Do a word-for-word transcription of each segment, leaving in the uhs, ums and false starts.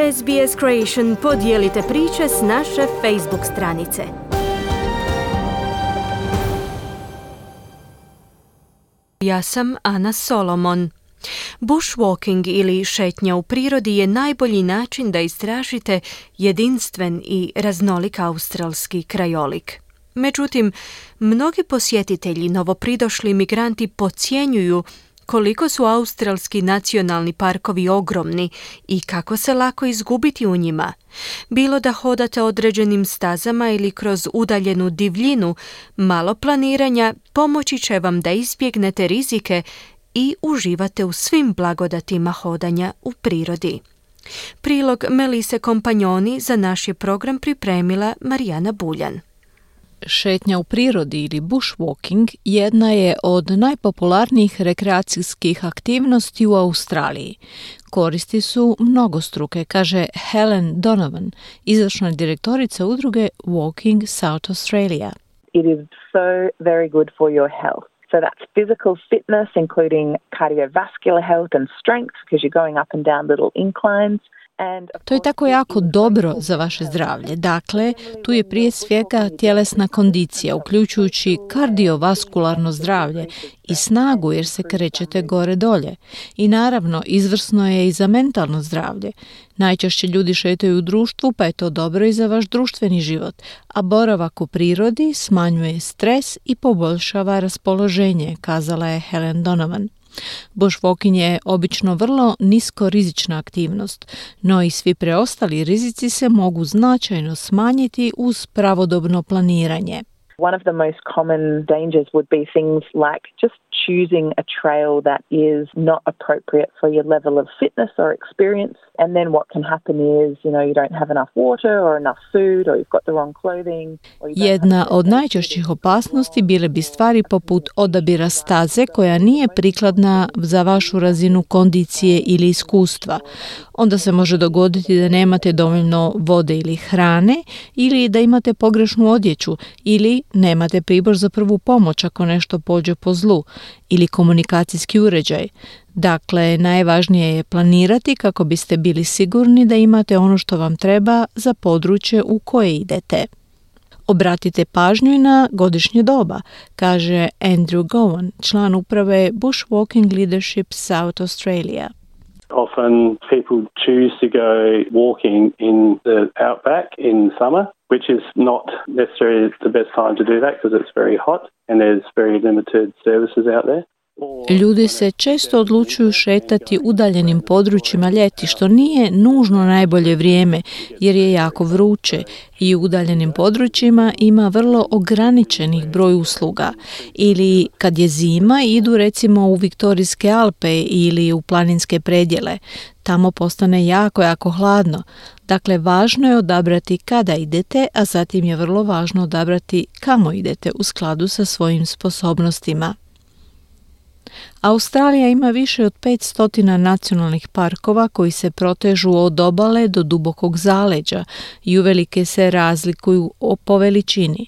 S B S Creation podijelite priče s naše Facebook stranice. Ja sam Ana Solomon. Bushwalking ili šetnja u prirodi je najbolji način da istražite jedinstven i raznolik australski krajolik. Međutim, mnogi posjetitelji, novopridošli migranti podcjenjuju koliko su australski nacionalni parkovi ogromni i kako se lako izgubiti u njima. Bilo da hodate određenim stazama ili kroz udaljenu divljinu, malo planiranja pomoći će vam da izbjegnete rizike i uživate u svim blagodatima hodanja u prirodi. Prilog Melise Kompanjoni za naš je program pripremila Marijana Buljan. Šetnja u prirodi ili bushwalking jedna je od najpopularnijih rekreacijskih aktivnosti u Australiji. Koristi su mnogostruke, kaže Helen Donovan, izvršna direktorica udruge Walking South Australia. It is so very good for your health. So that's physical fitness, including cardiovascular health and strength, because you're going up and down little inclines. To je tako jako dobro za vaše zdravlje. Dakle, tu je prije svega tjelesna kondicija, uključujući kardiovaskularno zdravlje i snagu jer se krećete gore dolje. I naravno, izvrsno je i za mentalno zdravlje. Najčešće ljudi šetaju u društvu, pa je to dobro i za vaš društveni život, a boravak u prirodi smanjuje stres i poboljšava raspoloženje, kazala je Helen Donovan. Bushwalking je obično vrlo niskorizična aktivnost, no i svi preostali rizici se mogu značajno smanjiti uz pravodobno planiranje. One of the most common dangers would be things like just choosing a trail that is not appropriate for your level of fitness or experience. And then what can happen is, you know, you don't have enough water or enough food or you've got the wrong clothing. Jedna od najčešćih opasnosti bile bi stvari poput odabira staze koja nije prikladna za vašu razinu kondicije ili iskustva. Onda se može dogoditi da nemate dovoljno vode ili hrane ili da imate pogrešnu odjeću ili nemate pribor za prvu pomoć ako nešto pođe po zlu ili komunikacijski uređaj. Dakle, najvažnije je planirati kako biste bili sigurni da imate ono što vam treba za područje u koje idete. Obratite pažnju i na godišnje doba, kaže Andrew Gowan, član uprave Bushwalking Leadership South Australia. Often people choose to go walking in the outback in summer, which is not necessarily the best time to do that because it's very hot and there's very limited services out there. Ljudi se često odlučuju šetati udaljenim područjima ljeti, što nije nužno najbolje vrijeme jer je jako vruće i u udaljenim područjima ima vrlo ograničenih broj usluga. Ili kad je zima idu recimo u Viktorijske Alpe ili u planinske predjele. Tamo postane jako, jako hladno. Dakle, važno je odabrati kada idete, a zatim je vrlo važno odabrati kamo idete u skladu sa svojim sposobnostima. Australija ima više od petsto nacionalnih parkova koji se protežu od obale do dubokog zaleđa i uvelike se razlikuju po veličini.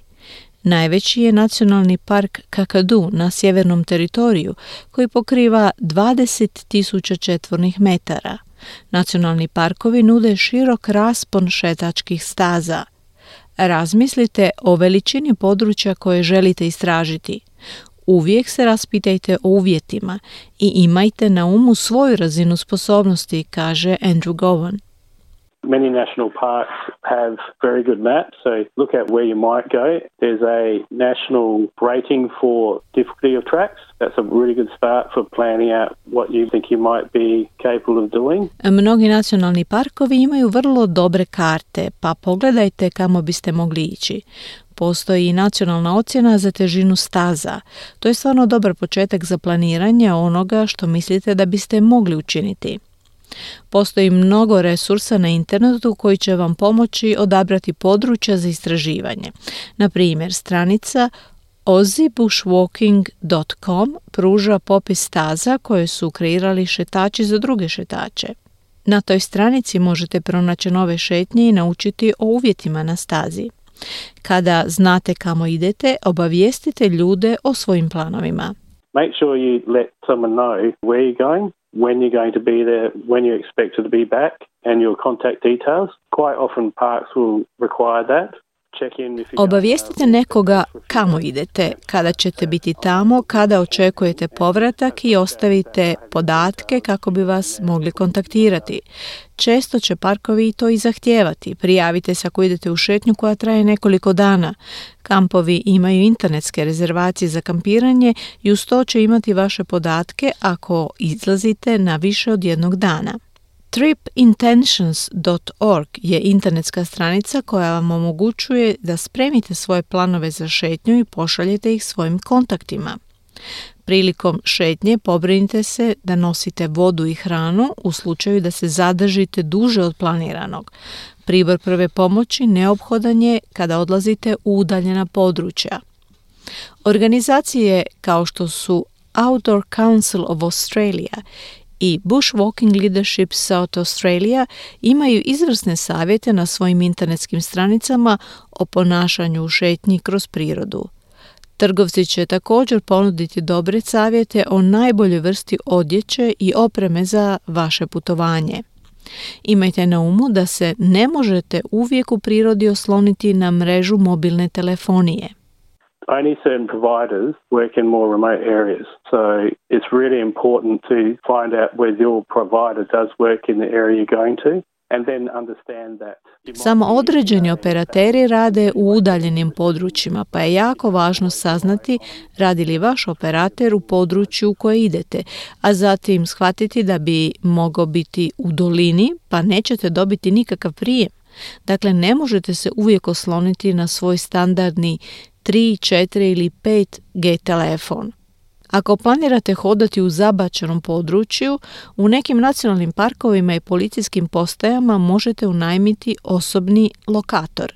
Najveći je nacionalni park Kakadu na sjevernom teritoriju koji pokriva dvadeset tisuća četvornih metara. Nacionalni parkovi nude širok raspon šetačkih staza. Razmislite o veličini područja koje želite istražiti. Uvijek se raspitajte o uvjetima i imajte na umu svoju razinu sposobnosti, kaže Andrew Gowan. Many national parks have very good maps, so look at where you might go. There's a national rating for difficulty of tracks. That's a really good start for planning out what you think you might be capable of doing. Mnogi nacionalni parkovi imaju vrlo dobre karte, pa pogledajte kamo biste mogli ići. Postoji i nacionalna ocjena za težinu staza. To je stvarno dobar početak za planiranje onoga što mislite da biste mogli učiniti. Postoji mnogo resursa na internetu koji će vam pomoći odabrati područja za istraživanje. Na primjer, stranica aussie bushwalking dot com pruža popis staza koje su kreirali šetači za druge šetače. Na toj stranici možete pronaći nove šetnje i naučiti o uvjetima na stazi. Kada znate kamo idete, obavijestite ljude o svojim planovima. Make sure you let someone know where you're going when you're going to be there, when you're expected to be back, and your contact details. Quite often parks will require that. Obavijestite nekoga kamo idete, kada ćete biti tamo, kada očekujete povratak i ostavite podatke kako bi vas mogli kontaktirati. Često će parkovi to i zahtijevati. Prijavite se ako idete u šetnju koja traje nekoliko dana. Kampovi imaju internetske rezervacije za kampiranje i uz to će imati vaše podatke ako izlazite na više od jednog dana. trip intentions dot org je internetska stranica koja vam omogućuje da spremite svoje planove za šetnju i pošaljete ih svojim kontaktima. Prilikom šetnje pobrinite se da nosite vodu i hranu u slučaju da se zadržite duže od planiranog. Pribor prve pomoći neophodan je kada odlazite u udaljena područja. Organizacije kao što su Outdoor Council of Australia i Bushwalking Leadership South Australia imaju izvrsne savjete na svojim internetskim stranicama o ponašanju u šetnji kroz prirodu. Trgovci će također ponuditi dobre savjete o najboljoj vrsti odjeće i opreme za vaše putovanje. Imajte na umu da se ne možete uvijek u prirodi osloniti na mrežu mobilne telefonije. Only certain providers work in more remote areas, so it's really important to find out where your provider does work in the area you're going to, and then understand that. Samo određeni operateri rade u udaljenim područjima, pa je jako važno saznati radi li vaš operater u području u koje idete, a zatim shvatiti da bi mogao biti u dolini, pa nećete dobiti nikakav prijem. Dakle, ne možete se uvijek osloniti na svoj standardni tri, četiri ili pet G telefon. Ako planirate hodati u zabačenom području, u nekim nacionalnim parkovima i policijskim postajama možete unajmiti osobni lokator.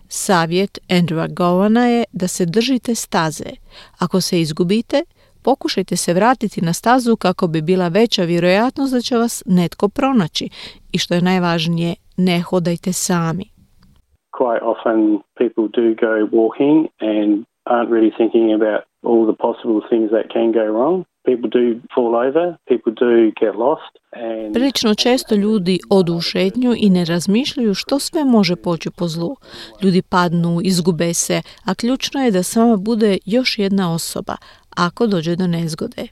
Savjet Andrewa Gowana je da se držite staze. Ako se izgubite, pokušajte se vratiti na stazu kako bi bila veća vjerojatnost da će vas netko pronaći. I što je najvažnije, ne hodajte sami. Quite often people do go walking and aren't really thinking about all the possible things that can go wrong. People do fall over, people do get lost. And Prilično često ljudi odu u šetnju i ne razmišljaju što sve može poći po zlu. Ljudi padnu, izgube se, a ključno je da s vama bude još jedna osoba ako dođe do nezgode.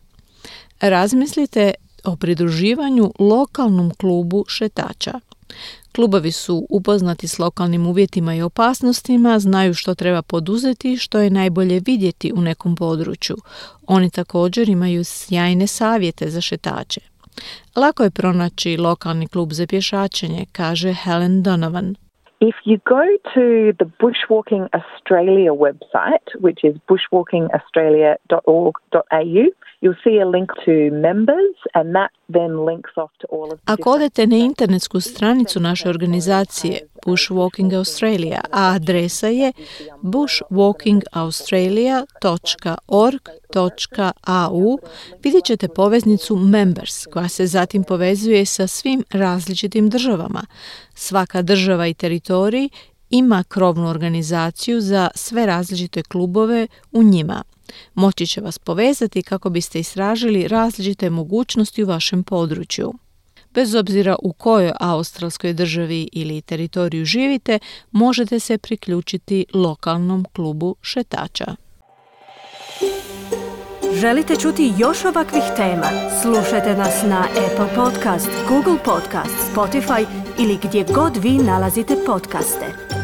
Razmislite o pridruživanju lokalnom klubu šetača. Klubovi su upoznati s lokalnim uvjetima i opasnostima, znaju što treba poduzeti i što je najbolje vidjeti u nekom području. Oni također imaju sjajne savjete za šetače. Lako je pronaći lokalni klub za pješačenje, kaže Helen Donovan. If you go to the Bushwalking Australia website, which is bushwalking australia dot org dot a u, you'll see a link to members and that then links off to all of the Ako odete na internetsku stranicu naše organizacije Bushwalking Australia, a adresa je bushwalking australia dot org dot a u, vidjet ćete poveznicu Members koja se zatim povezuje sa svim različitim državama. Svaka država i teritorij ima krovnu organizaciju za sve različite klubove u njima. Moći će vas povezati kako biste istražili različite mogućnosti u vašem području. Bez obzira u kojoj australskoj državi ili teritoriju živite, možete se priključiti lokalnom klubu šetača. Želite čuti još ovakvih tema? Slušajte nas na Apple Podcast, Google Podcast, Spotify ili gdje god vi nalazite podcaste.